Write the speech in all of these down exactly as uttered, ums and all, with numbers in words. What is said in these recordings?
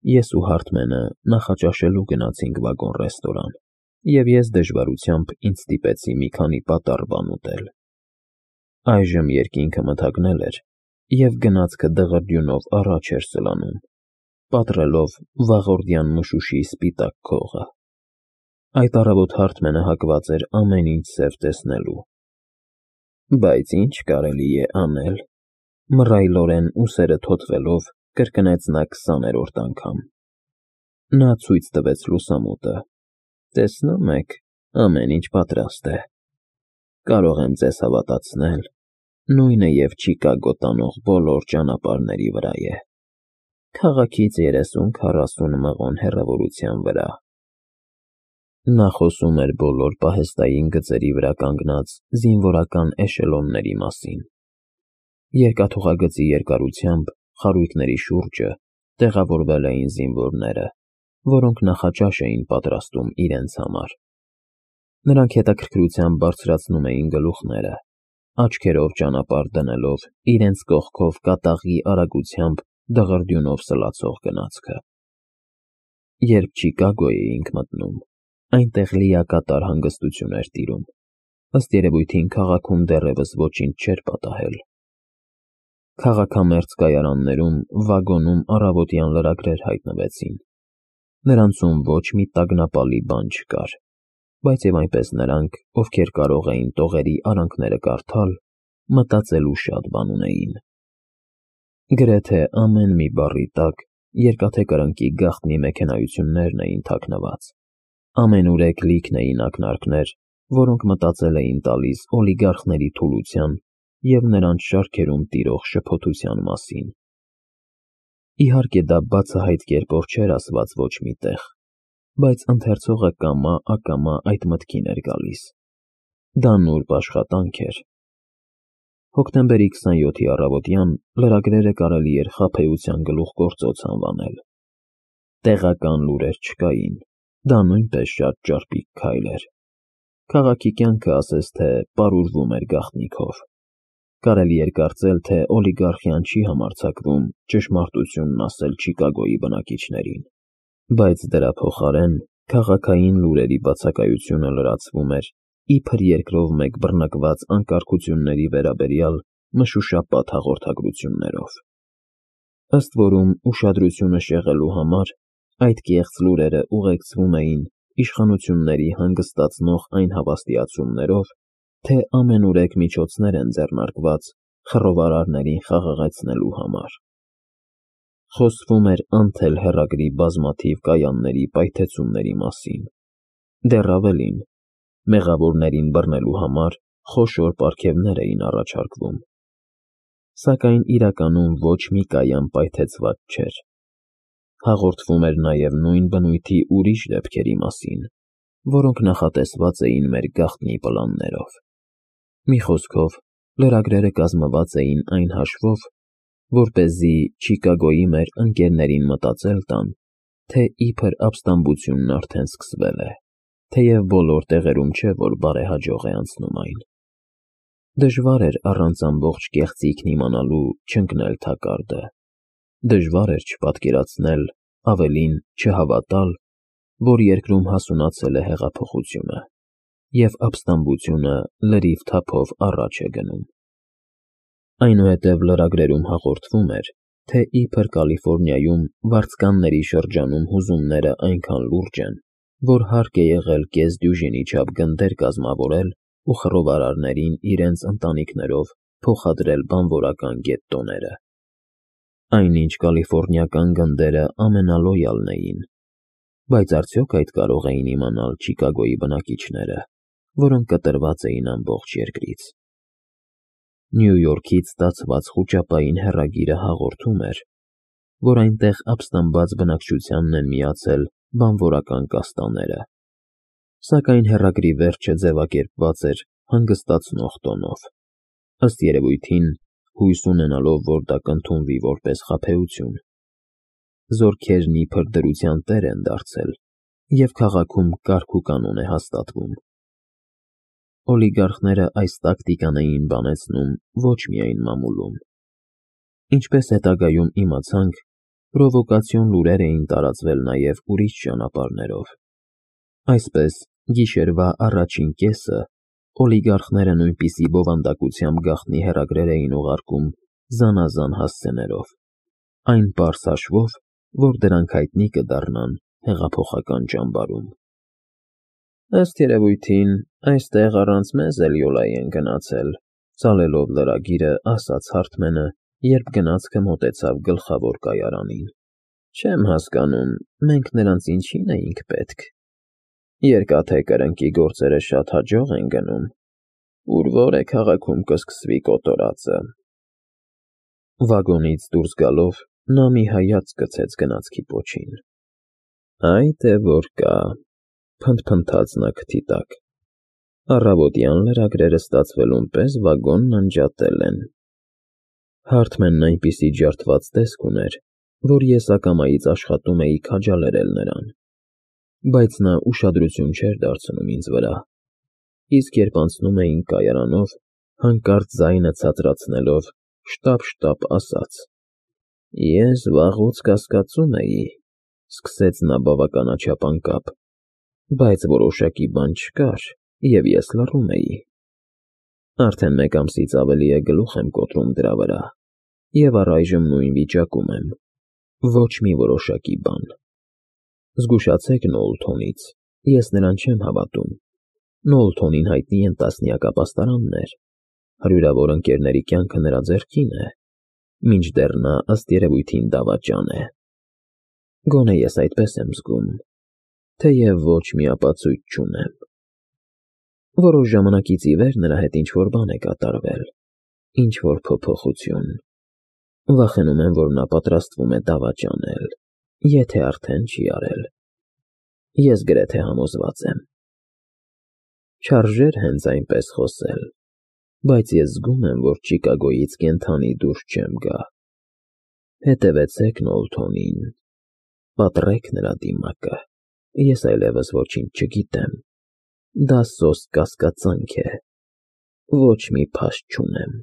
Ես ու Հարթմենը նախաճաշելու գնացինք վագոն֊ռեստորան, և ես դժվարությամբ ինձ ստիպեցի մի քանի պատառ բան ուտել։ Այժմ երկինքը մթագնել էր, և գնացքը դղրդյունով առաջ էր սլանում, պատռելով վաղորդյան մշուշի սպիտակ քողը։ Այդ առավոտ Հարթմենը հակված էր ամեն ինչ սև տեսնելու։ Բայց ի՞նչ կարելի է անել,֊ մռայլորեն ուսերը թոթվելով կրկնեց նա քսաներորդ անգամ։ Նա ցույց տվեց լուսամուտը։ Տեսնում եք, ամեն ինչ պատրաստ է։ Կարող եմ ձեզ հավատացնել, նույնը և Չիկագո տանող բոլոր ճանապարհների վրա է։ Քաղաքից երեսուն֊քառասուն մղոն հեռավորության վրա։ Նա խոսում էր բոլոր պահեստային գծերի վրա կանգնած զինվորական էշելոնների մասին։ Երկաթուղագծի երկարությամբ խարույկների շուրջը տեղավորվել էին զինվորները, որոնք նախաճաշ էին պատրաստում իրենց համար։ Նրանք հետաքրքրությամբ բարձրացնում էին գլուխները, աչքերով ճանապարհ դնելով իրենց կողքով կատաղի արագությամբ դղրդյունով սլացող գնացքը։ Երբ Չիկագո էինք մտնում, այնտեղ լիակատար հանգստություն էր տիրում, ըստ երևույթին քաղաքում դեռևս ոչինչ չէր պատահել։ Քաղաքամերձ կայարաններում վագոնում առավոտյան լրագրեր հայտնվեցին։ Նրանցում ոչ մի տագնապալի բան չկար, բայց և այնպես նրանք, ովքեր կարող էին տողերի արանքները կարդալ, մտածելու շատ բան ունեին։ Գրեթե ամեն մի բառի տակ Երկաթե Կրնկի գաղտնի մեքենայություններն էին թաքնված, ամենուրեք լիքն էին ակնարկներ, որոնք մտածել էին տալիս օլիգարխների թուլության և նրանց շարքերում տիրող շփոթության մասին։ Իհարկե դա բացահայտ կերպով չէր ասված ոչ մի տեղ, բայց ընթերցողը կամա֊ակամա այդ մտքին էր գալիս։ Դա նուրբ աշխատանք էր։ Հոկտեմբերի քսանյոթի առավոտյան լրագրերը կարելի էր խաբեության գլուխգործոց անվանել։ Տեղական լուրեր չկային, դա նույնպես շատ ճարպիկ քայլ էր։ Քաղաքի կյանքը ասես թե պարուրվում էր գաղտնիքով։ Կարելի էր կարծել, թե օլիգարխիան չի համարձակվում ճշմարտությունն ասել Չիկագոյի բնակիչներին, բայց դրա փոխարեն քաղաքային լուրերի բացակայությունը լրացվում էր իբր երկրով մեկ բռնկված անկարգությունների վերաբերյալ մշուշապատ հաղորդագրություններով։ Ըստ որում, ուշադրությունը շեղելու համար այդ կեղծ լուրերը ուղեկցվում էին իշխանությունների հանգստացնող այն հավաստիացումներով, թե ամենուրեք միջոցներ են ձեռնարկված խռովարարներին խաղաղեցնելու համար։ Խոսվում էր անթել հեռագրի բազմաթիվ կայանների պայթեցումների մասին։ Դեռ ավելին, մեղավորներին բռնելու համար խոշոր պարգևներ էին առաջարկվում։ Սակայն իրականում ոչ մի կայան պայթեցված չէր։ Հաղորդվում էր նաև նույն բնույթի ուրիշ դեպքերի մասին, որոնք նախատեսված էին մեր գաղտնի պլաններով։ Մի խոսքով, լրագրերը կազմված էին այն հաշվով, որպեսզի Չիկագոյի մեր ընկերներին մտածել տան, թե իբր ապստամբությունն արդեն սկսվել է, թեև բոլոր տեղերում չէ, որ բարեհաջող է անցնում այն։ Դժվար էր առանց ամբողջ կեղծիքն իմանալու չընկնել թակարդը։ Դժվար էր չպատկերացնել, ավելին՝ չհավատալ, որ երկրում հասունացել է հեղափոխությունը, և ապստամբությունը լրիվ թափով առաջ է գնում։ Այնուհետև լրագրերում հաղորդվում էր, թե իբր Կալիֆոռնիայում վարձկանների շրջանում հուզումները այնքան լուրջ են, որ հարկ է եղել կես դյուժինի չափ գնդեր կազմավորել ու խռովարարներին իրենց ընտանիքներով փոխադրել բանվորական գետտոները։ Այնինչ կալիֆոռնիական գնդերը ամենալոյալն էին, բայց արդյոք այդ կարող էին իմանալ Չիկագոյի բնակիչները, որոնք կտրված էին ամբողջ երկրից։ Նյու Յորքից ստացված խուճապային հեռագիրը հաղորդում էր, որ այնտեղ ապստամբված բնակչությանն են միացել բանվորական կաստաները, սակայն հեռագրի վերջը ձևակերպված էր հանգստացնող տոնով, ըստ երևույթին հույս ունենալով, որ դա կընդունվի որպես խաբեություն։ Զորքերն իբր դրության տեր են դարձել, և քաղաքում կարգ ու կանոն է հաստատվում։ Օլիգարխները այս տակտիկան էին բանեցնում ոչ միայն մամուլում։ Ինչպես հետագայում իմացանք, Պրովոկացիոն լուրեր էին տարածվել նաև ուրիշ ճանապարհներով։ Այսպես, գիշերվա առաջին կեսը օլիգարխները նույնպիսի բովանդակությամբ գաղտնի հեռագրեր էին ուղարկում զանազան հասցեներով, այն պարզ հաշվով, որ դրանք հայտնի կդառնան հեղափոխական ճամբարում։ Ըստ երևույթին, այստեղ առանց մեզ էլ յոլայի են գնացել, ծալելով լրագիրը, ասաց Հարթմենը, երբ գնացքը մոտեցավ գլխավոր կայարանին։ Չեմ հասկանում, մենք նրանց ինչին էինք պետք։ Երկաթե կրնկի գործերը շատ հաջող են գնում, ուր որ է քաղաքում կսկսվի կոտորածը։ Վագոնից դուրս գալով նա մի հայացք գցեց գնացքի պոչին։ Այ թե որ կա, փնթփնթաց նա քթի տակ։ Առավոտյան լրագրերը ստացվելուն պես վագոնն անջատել են։ Հարթմենն այնպիսի ջարդված տեսք ուներ, որ ես ակամայից աշխատում էի քաջալերել նրան, բայց նա ուշադրություն չէր դարձնում ինձ վրա, իսկ երբ անցնում էինք կայարանով, հանկարծ ձայնը ցածրացնելով, շտապ-շտապ ասաց. Ես վաղուց կասկածում էի, սկսեց նա բավականաչափ անկապ, բայց որոշակի բան չկար, և ես լռում էի։ Արդեն մեկ ամսից ավելի է գլուխ եմ կոտրում դրա վրա, և առայժմ նույն վիճակում եմ, ոչ մի որոշակի բան։ Զգուշացեք Նոուլթոնից, ես նրան չեմ հավատում։ Նոուլթոնին հայտնի են տասնյակ ապաստարաններ, հարյուրավոր ընկերների կյանքը նրա ձեռքին է, մինչդեռ նա ըստ երևույթին դավաճան է։ Գոնե ես այդպես եմ զգում, թեև ոչ մի ապացույց չունեմ։ Որոշ ժամանակից ի վեր նրա հետ ինչ-որ բան է կատարվել, ինչ-որ փոփոխություն։ Վախենում եմ, որ նա պատրաստվում է դավաճանել, եթե արդեն չի արել։ Ես գրեթե համոզված եմ։ Չարժեր հենց այնպես խոսել, բայց ես զգում եմ, որ Չիկագոյից կենդանի դուրս չեմ գա։ Հետևեցեք Նոուլթոնին, պատռեք նրա դիմակը, ես այլևս ոչինչ չգիտեմ, դա սոսկ կասկածանք է, ոչ մի փաստ չունեմ։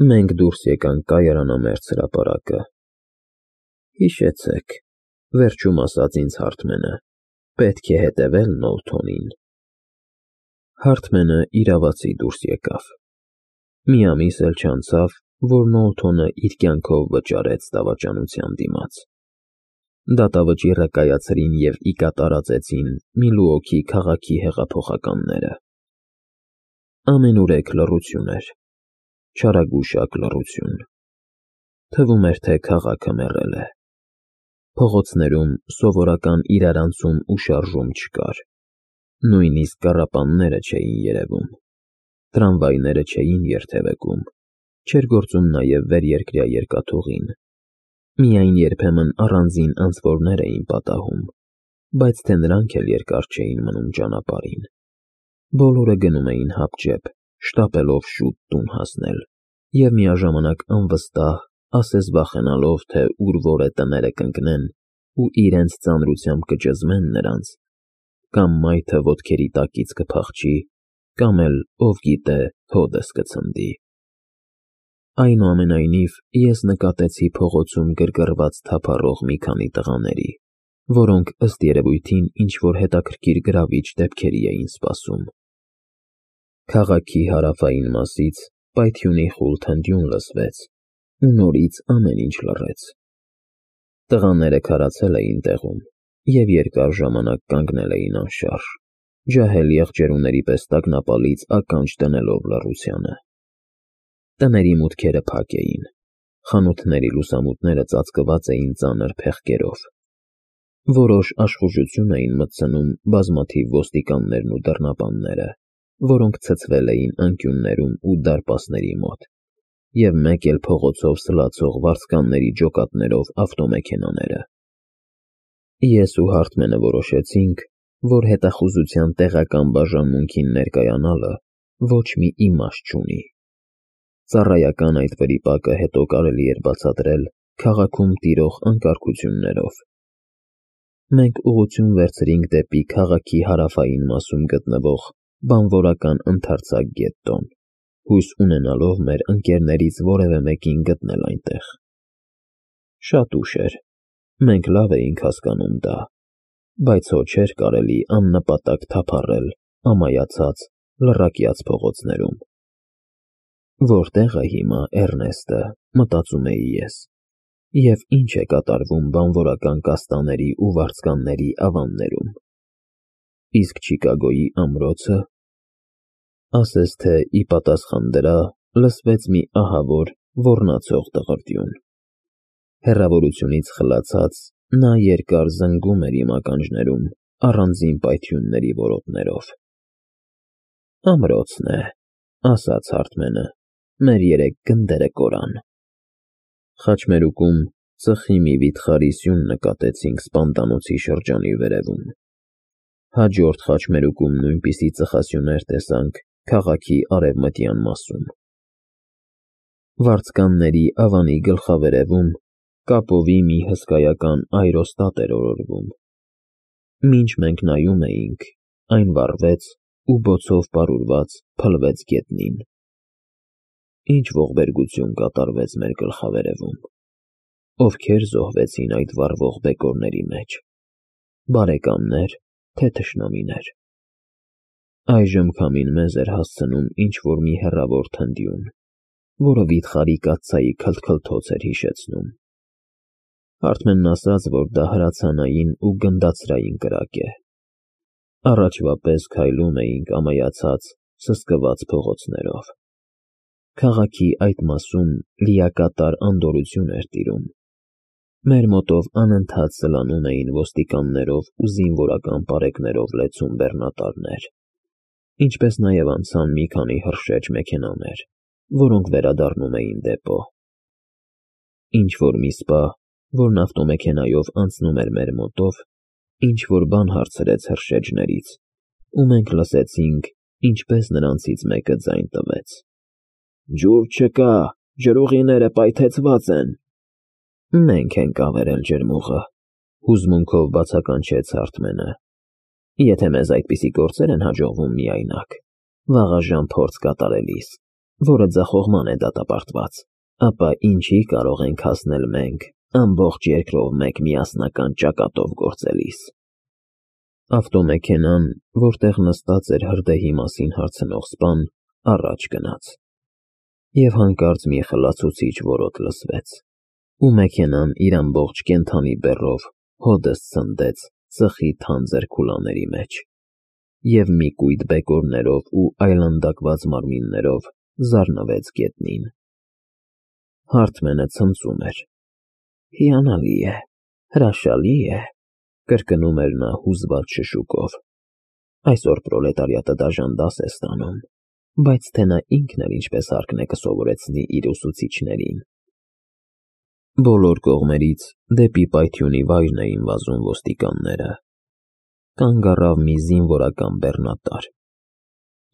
Մենք դուրս եկանք կայարանամերձ հրապարակը։ Հիշեցեք, վերջում ասաց ինձ Հարթմենը, պետք է հետևել Նոուլթոնին։ Հարթմենը իրավացի դուրս եկավ։ Մի ամիս էլ չանցավ, որ Նոուլթոնը իր կյանքով վճարեց դավաճանության դիմաց։ Դատավճիռը կայացրին և ի կատարածեցին Միլուոքի քաղաքի հեղափոխականները։ Ամենուրեք լռություն էր, չարագուշակ լռություն։ Թվում էր, թե քաղաքը մեռել է։ Փողոցներում սովորական իրարանցում ու շարժում չկար, նույնիսկ կառապանները չէին երևում, տրամվայները չէին երթևեկում, չէր գործում նաև վերերկրյա երկաթուղին։ Միայն երբեմն առանձին անցորդներ էին պատահում, բայց թե նրանք էլ երկար չէին մնում ճանապարհին։ Բոլորը գնում էին հապճեպ, շտապելով շուտ տուն հասնել, և միաժամանակ անվստահ, ասես վախենալով, թե ուր որ է տները կընկնեն ու իրենց ծանրությամբ կճզմեն նրանց, կամ մայթը ոտքերի տակից կփախչի, կամ էլ, ով գիտե, հոդս կցնդի։ Այնուամենայնիվ, ես նկատեցի փողոցում գրգռված թափառող մի քանի տղաների, որոնք ըստ երևույթին ինչ-որ հետաքրքիր գրավիչ դեպքերի էին սպասում։ Քաղաքի հարավային մասից պայթյունի խուլ թնդյուն լսվեց, ու նորից ամեն ինչ լռեց։ Տղաները քարացել էին տեղում և երկար ժամանակ կանգնել էին անշարժ, ջահել եղջերուների պես տագնապալից ականջ դնելով լռությանը։ Տների մուտքերը փակ էին, խանութների լուսամուտները ծածկված էին ծանր փեղկերով։ Որոշ աշխուժություն էին մտցնում բազմաթիվ ոստիկաններն ու դռնապանները, որոնք ցցվել էին անկյուններում ու դարպասների մոտ, և մեկ էլ փողոցով սլացող վարձկանների ջոկատներով ավտոմեքենաները։ Ես ու Հարթմենը որոշեցինք, որ հետախուզության տեղական բաժանմունքին ներկայանալը ոչ մի իմաստ չունի։ Ծառայական այդ վրիպակը հետո կարելի էր բացատրել քաղաքում տիրող անկարգություններով։ Մենք ուղղություն վերցրինք դեպի քաղաքի հարավային մասում գտնվող բանվորական ընդարձակ գետտոն, հույս ունենալով մեր ընկերներից որևէ մեկին գտնել այնտեղ։ Շատ ուշ էր, մենք լավ էինք հասկանում դա, բայց հո չէր կարելի աննպատակ թափառել ամայացած, լռակյաց փողոցներում։ Որտե՞ղ է հիմա Էռնեստը, մտածում էի ես, և ինչ է կատարվում բանվորական կաստաների ու վարձկանների ավաններում։ Իսկ Չիկագոյի ամրոցը… Ասես թե ի պատասխան դրա լսվեց մի ահավոր, ոռնացող դղրդյուն։ Հեռավորությունից խլացած նա երկար զնգում էր իմ ականջներում առանձին պայթյունների որոտներով։ «Ամրոցն է,֊ ասաց Հարթմենը,֊ մեր երեք գնդերը կորան»։ Խաչմերուկում ծխի մի վիթխարի սյուն նկատեցինք սպանդանոցի շրջանի վերևում։ Հաջորդ խաչմերուկում նույնպիսի ծխասյուներ տեսանք քաղաքի արևմտյան մասում։ Վարձկանների ավանի գլխավերևում կապովի մի հսկայական այրոստատ էր օրորվում։ Մինչ մենք նայում էինք, այն վառվեց ու բոցով պարուրված փլվեց գետնին։ Ինչ ողբերգություն կատարվեց մեր գլխավերևում։ Ովքեր զոհվեցին այդ վառվող բեկորների մեջ, բարեկամնե՞ր, թե թշնամիներ։ Այժմ քամին մեզ էր հասցնում ինչ-որ մի հեռավոր թնդյուն, որը վիթխարի կաթսայի քլթքլթոց էր հիշեցնում։ Հարթմենն ասաց, որ դա հրացանային ու գնդացրային կրակ է։ Առաջվա պես քայլում էինք ամայացած, սսկված փողոցներով։ Քաղաքի այդ մասում լիակատար անդորրություն էր տիրում։ Մեր մոտով անընդհատ սլանում էին ոստիկաններով ու զինվորական պարեկներով լեցուն բեռնատարներ, ինչպես նաև անցան մի քանի հրշեջ մեքենաներ, որոնք վերադառնում էին դեպո։ Ինչ-որ մի սպա, որն ավտոմեքենայով անցնում էր մեր մոտով, ինչ-որ բան հարցրեց հրշեջներից, ու մենք լսեցինք, ինչպես նրանցից մեկը ձայն տվեց. «Ջուր չկա, ջրուղիները պայթեցված են»։ «Մենք ենք ավերել ջրմուղը», հուզմունքով բացականչեց Հարթմենը։ «Եթե մեզ այդպիսի գործեր են հաջողվում միայնակ, վաղաժամ փորձ կատարելիս, որը ձախողման է դատապարտված, ապա ինչի կարող ենք հասնել մենք ամբողջ երկրով մեկ միասնական ճակատով գործելիս»։ Ավտոմեքենան, որտեղ նստած էր հրդեհի մասին հարցնող սպան, առաջ գնաց, և հանկարծ մի խլացուցիչ որոտ լսվեց, ու մեքենան իր ամբողջ կենդանի բեռով հօդս ցնդեց ծխի թանձր քուլաների մեջ, և մի կույտ բեկորներով ու այլանդակված մարմիններով զառնվեց գետնին։ Հարթմենը ցնծում էր։ «Հիանալի է, հրաշալի է,֊ կրկնում էր նա հուզված շշուկով,֊ այսօր պրոլետարիատը դաժան դաս է ստանում, բայց թե նա ինքն էլ ինչպես հարկն է կսովորեցնի իր ուսուցիչներին»։ Բոլոր կողմերից դեպի պայթյունի վայրն էին վազում ոստիկանները։ Կանգ առավ մի զինվորական բեռնատար։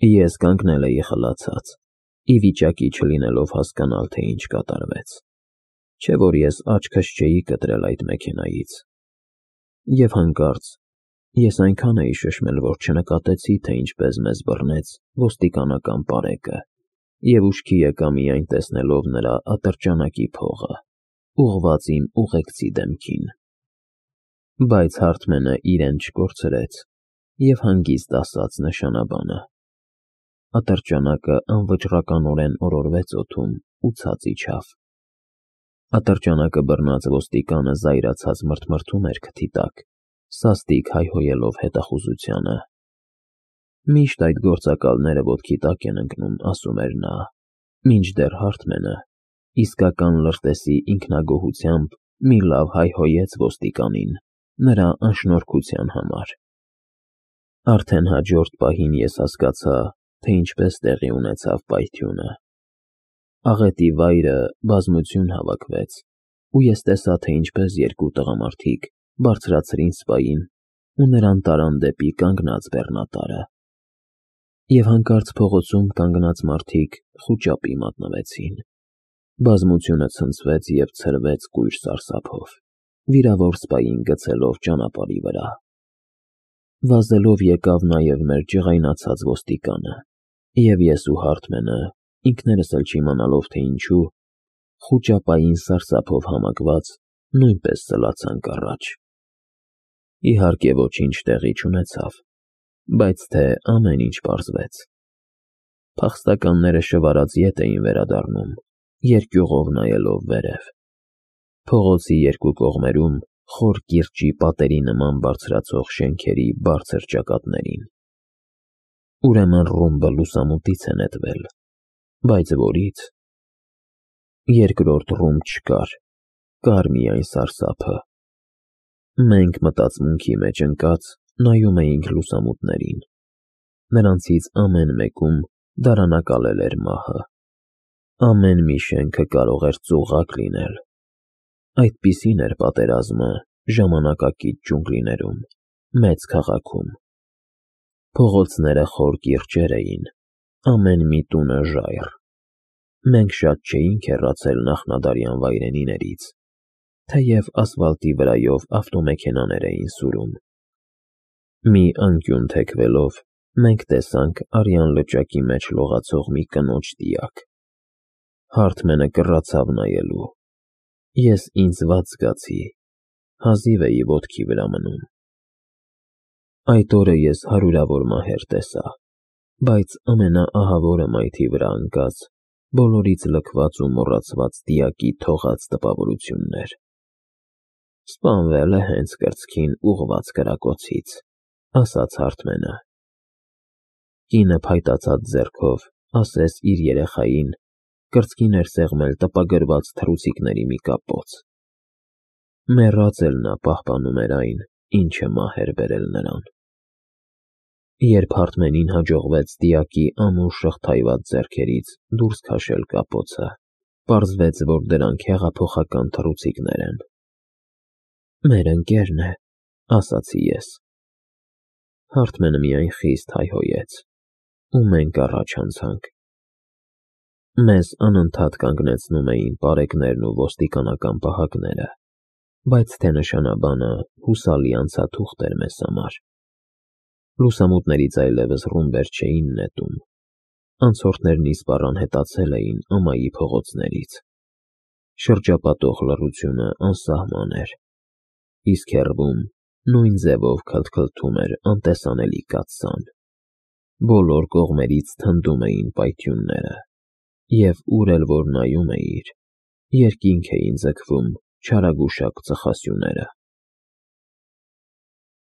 Ես կանգնել էի խլացած, ի վիճակի չլինելով հասկանալ, թե ինչ կատարվեց, չէ որ ես աչքս չէի կտրել այդ մեքենայից։ Եվ հանկարծ ես այնքան էի շշմել, որ չնկատեցի, թե ինչպես մեզ բռնեց ոստիկանական պարեկը, և ուշքի եկա միայն տեսնելով նրա ատրճանակի փողը, ուղղված իմ ուղեկցի դեմքին։ Բայց Հարթմենը իրեն չկորցրեց և հանգիստ ասաց նշանաբանը։ Ատրճանակը անվճռականորեն օրորվեց օդում ու ցած իջավ։ Ատրճանակը բռնած ոստիկանը զայրացած մրթմրթում էր քթի տակ, սաստիկ հայհոյելով հետախուզությանը։ «Միշտ այդ գործակալները ոտքի տակ են ընկնում,֊ ասում էր նա,֊ մինչդեռ Հարթմենը իսկական լրտեսի ինքնագոհությամբ մի լավ հայհոյեց ոստիկանին նրա անշնորհքության համար»։ Արդեն հաջորդ պահին ես հասկացա, թե ինչպես տեղի ունեցավ պայթյունը։ Աղետի վայրը բազմություն հավաքվեց, ու ես տեսա, թե ինչպես երկու տղամարդիկ բարձրացրին սպային ու նրան տարան դեպի կանգնած բեռնատարը։ Եվ հանկարծ փողոցում կանգնած մարդիկ խուճապի մատնվեցին։ Բազմությունը ցնցվեց և ցրվեց կույր սարսափով, վիրավոր սպային գցելով ճանապարհի վրա։ Վազելով եկավ նաև մեր ջղայնացած ոստիկանը, և ես ու Հարթմենը, ինքներս էլ չիմանալով, թե ինչու, խուճապային սարսափով համակված, նույնպես սլացանք առաջ։ Իհարկե ոչինչ տեղի չունեցավ, բայց թե ամեն ինչ պարզվեց։ Փախստականները շվարած ետ էին վերադառնում, երկյուղով նայելով վերև։ Փողոցի երկու կողմերում խոր կիրճի պատերի նման բարձրացող շենքերի բարձր ճակատներին։ Ուրեմն ռումբը լուսամուտից է նետվել, բայց որից։ Երկրորդ ռումբ չկար, կար միայն սարսափը։ Մենք մտածմունքի մեջ ընկած նայում էինք լուսամուտներին։ Նրանցից ամեն մեկում դարանակալել էր մահը։ Ամեն մի շենքը կարող էր ծուղակ լինել։ Այդպիսին էր պատերազմը ժամանակակից ջունգլիներում, մեծ քաղաքում։ Փողոցները խոր կիրճեր էին, ամեն մի տունը ժայռ։ Մենք շատ չէինք հեռացել նախնադարյան վայրենիներից, թեև ասֆալտի վրայով ավտոմեքենաներ էին սուրում։ Մի անկյուն թեքվելով մենք տեսանք արյան լճակի մեջ լողացող մի կնոջ դիակ։ Հարթմենը կռացավ նայելու։ Ես ինձ վատ զգացի, հազիվ էի ոտքի վրա մնում։ Այդ օրը ես հարյուրավոր մահեր տեսա, բայց ամենաահավորը մայթի վրա ընկած, բոլորից լքված ու մոռացված դիակի թողած տպավորությունն էր։ Սպանվել է հենց կրծքին ուղղված կրակոցից, ասաց Հարթմենը։ Կինը փայտացած ձեռքով ասես իր երեխային կրծքին էր սեղմել տպագրված թռուցիկների մի կապոց։ Մեռած էլ նա պահպանում էր այն, ինչը մահ էր բերել նրան։ Երբ Հարթմենին հաջողվեց դիակի ամուր շղթայված ձեռքերից դուրս քաշել կապոցը, պարզվեց, որ դրանք հեղափոխական թռուցիկներ են։ Մեր ընկերն է, ասացի ես։ Հարթմենը միայն խիստ հայհոյեց, ու մենք առաջ անցանք։ Մեզ անընդհատ կանգնեցնում էին պարեկներն ու ոստիկանական պահակները, բայց թե նշանաբանը հուսալի անցաթուղթ էր մեզ համար։ Լուսամուտներից այլևս ռումբեր չէին նետում։ Անցորդներն իսպառ անհետացել էին ամայի փողոցներից։ Շրջապատող լռությունը անսահման էր, իսկ հեռվում նույն ձևով քլթքլթում էր անտեսանելի կաթսան։ Բոլոր կողմերից թնդում էին պայթյունները, և ուր էլ որ նայում էիր, երկինք էին ձգվում չարագուշակ ծխասյուները։